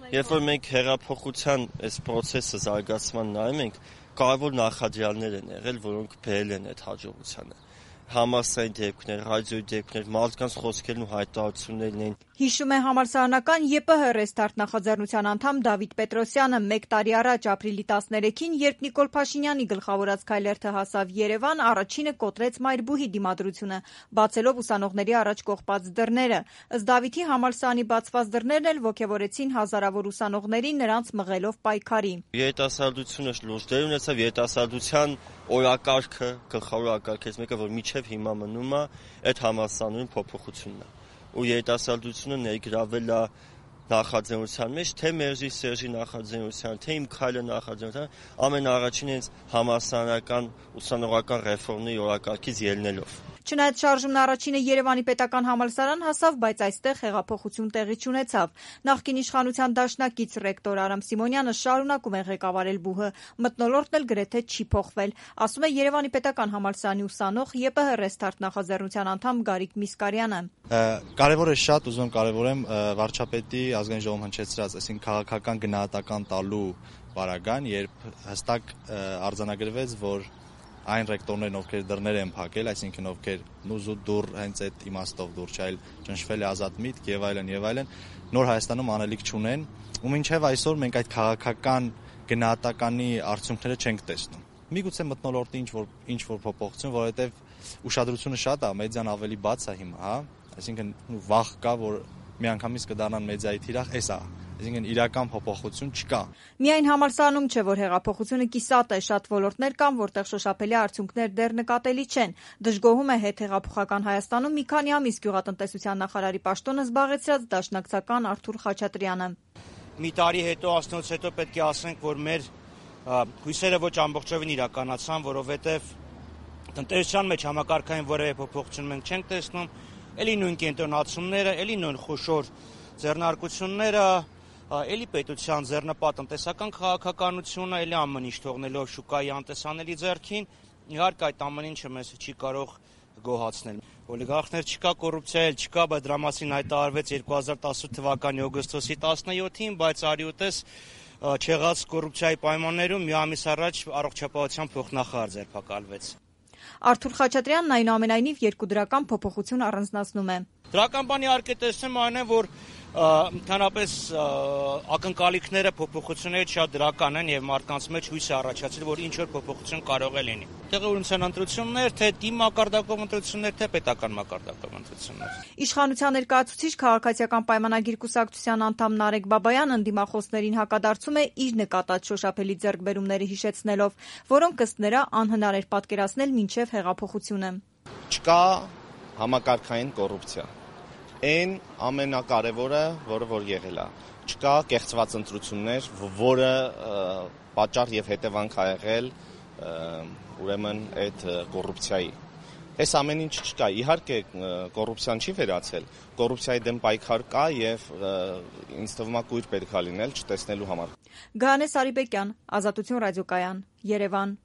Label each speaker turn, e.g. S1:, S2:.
S1: Երբ որ մենք հեղափոխության այս process-ը զարգացման նայում ենք, կարևոր նախադրյալներ են եղել, որոնք բերել են այդ հաջողությանը։ Համալսարանի դեպքներ, ռադիոյի դեպքներ, մարդկանց խոսքերն ու հայտարարություններն են։
S2: Հիշում է համալսարանական ԵՊՀ Ռեստարտ նախաձեռնության անդամ Դավիթ Պետրոսյանը 1 տարի առաջ ապրիլի 13-ին, երբ Նիկոլ Փաշինյանի գլխավորած քայլերթը հասավ Երևան, առաջինը կոտրեց Մայրբուհի դիմադրությունը, բացելով ուսանողների առաջ կողպած դռները։ Ըստ Դավիթի, համալսարանի բացված դռներն էլ ոգևորեցին հազարավոր ուսանողների, նրանց մղելով պայքարի։
S1: Երիտասարդությունը լուրջ դեր ունեցավ, երիտասարդության օրակարգը, գլխավոր օրակարգից մեկը, որ մինչև հիմա մնում է, այդ համալսարանում փոփոխությունն է։ Ու երիտասարդությունը ներգրավել է նախաձեռնության մեջ, թե Մերժի Սերժի նախաձեռնության, թե Իմ քայլը նախաձեռնության, ամենաառաջին հենց համալսարանական ուսանողական ռեֆորմների օրակարգից ելնելով։
S2: Չնայած շարժումն առաջինը Երևանի պետական համալսարան հասավ, բայց այստեղ հեղափոխություն տեղի չունեցավ։ Նախկին իշխանության դաշնակից ռեկտոր Արամ Սիմոնյանը շարունակում է ղեկավարել ԲՈՒՀ-ը, մթնոլորտն էլ գրեթե չի փոխվել, ասում է Երևանի պետական համալսարանի ուսանող ԵՊՀ Ռեստարտ նախաձեռնության անդամ Գարիկ Միսկարյանը։
S3: Կարևոր է շատ, ուզում եմ կարևորեմ վարչապետի ազգային ժողովում հնչեցրած, այսինքն քաղաքական գնահատական տալու պարագան, երբ հստակ արձանագրվեց, որ այն ռեկտորներն, ովքեր դռներ են փակել, այսինքն ովքեր նուզու դուռ հենց այդ իմաստով դուռ չայլ ճնշվել է ազատ միտք եւ այլն, նոր Հայաստանում անելիք չունեն, ու մինչեւ այսօր մենք այդ քաղաքական գնահատականի արդյունքները չենք տեսնում։ Միգուցե մթնոլորտի ինչ որ փոփոխություն, որովհետեւ ուշադրությունը շատ է, մեդիան ավելի բաց է հիմա, հա, այսինքն վախ կա, որ միանգամից կդառնան մեդիայի թիրախ, էս է, այսինքն իրական փոփոխություն չկա։
S2: Միայն համալսարանում չէ, որ հեղափոխությունը կիսատ է, շատ ոլորտներ կան, որտեղ շոշափելի արդյունքներ դեռ նկատելի չեն։ Դժգոհում է հետհեղափոխական Հայաստանում մի քանի ամիս գյուղատնտեսության նախարարի պաշտոնը զբաղեցրած դաշնակցական Արթուր Խաչատրյանը։
S4: Մի տարի հետո, ասնուց հետո պետք է ասենք, որ մեր հույսերը ոչ ամբողջովին իրականացան, որովհետև տնտեսության մեջ համակարգային որևէ փոփոխություն մենք չենք տեսնում, էլի նույն կենտրոնացումները, էլի նույն խոշոր ձեռնարկությունները, էլի պետության ձեռնպատ տնտեսական քաղաքականությունը, էլի ամեն ինչ թողնելով շուկայի անտեսանելի ձեռքին, իհարկե այդ ամեն ինչը մեզ չի կարող գոհացնել։ Օլիգարխներ չկա, կոռուպցիա էլ չկա, բայց դրա մասին հայտարարվեց 2018 թվականի օգոստոսի 17-ին, բայց արի ուտես չեղած կոռուպցիայի պայմաններում մի ամիս առաջ առողջապահության փոխնախարար ձերբակալվեց։
S2: Արթուր Խաչատրյանն այնուամենայնիվ երկու դրական փոփոխություն առանձնացնում է։
S4: Դրական բանի իհարկե տեսնում այն է, որ ընդհանրապես ակնկալիքները փոփոխությունները շատ դրական են եւ մարդկանց մեջ հույս է առաջացել, որ ինչ որ փոփոխություն կարող է լինի։ Տեղի ունեցան ընտրություններ, թե թիմ մակարդակով ընտրություններ, թե պետական մակարդակով ընտրություններ։
S2: Իշխանության ներկայացուցիչ քաղաքացիական պայմանագիր կուսակցության անդամ Նարեկ Բաբայանն ընդդիմախոսներին հակադարձում է իր նկատած շոշափելի ձեռքբերումները հիշեցնելով, որոնք ըստ նրա անհնար էր պատկերացնել մինչև հեղափոխությունը։
S5: Չկա համակարգային կոռուպցիա։ Այն ամենակարևորը, որ եղել է։ Չկա կեղծված ընտրություններ, որը պատճառ եւ հետևանք ա եղել ուրեմն այդ կոռուպցիայի։ Այս ամեն ինչ չկա։ Իհարկե կոռուպցիան չի վերացել։ Կոռուպցիայի դեմ պայքար կա եւ ինձ թվում է կույր պետք է լինել չտեսնելու համար։
S2: Գանես Արիբեկյան, Ազատություն ռադիոկայան, Երևան։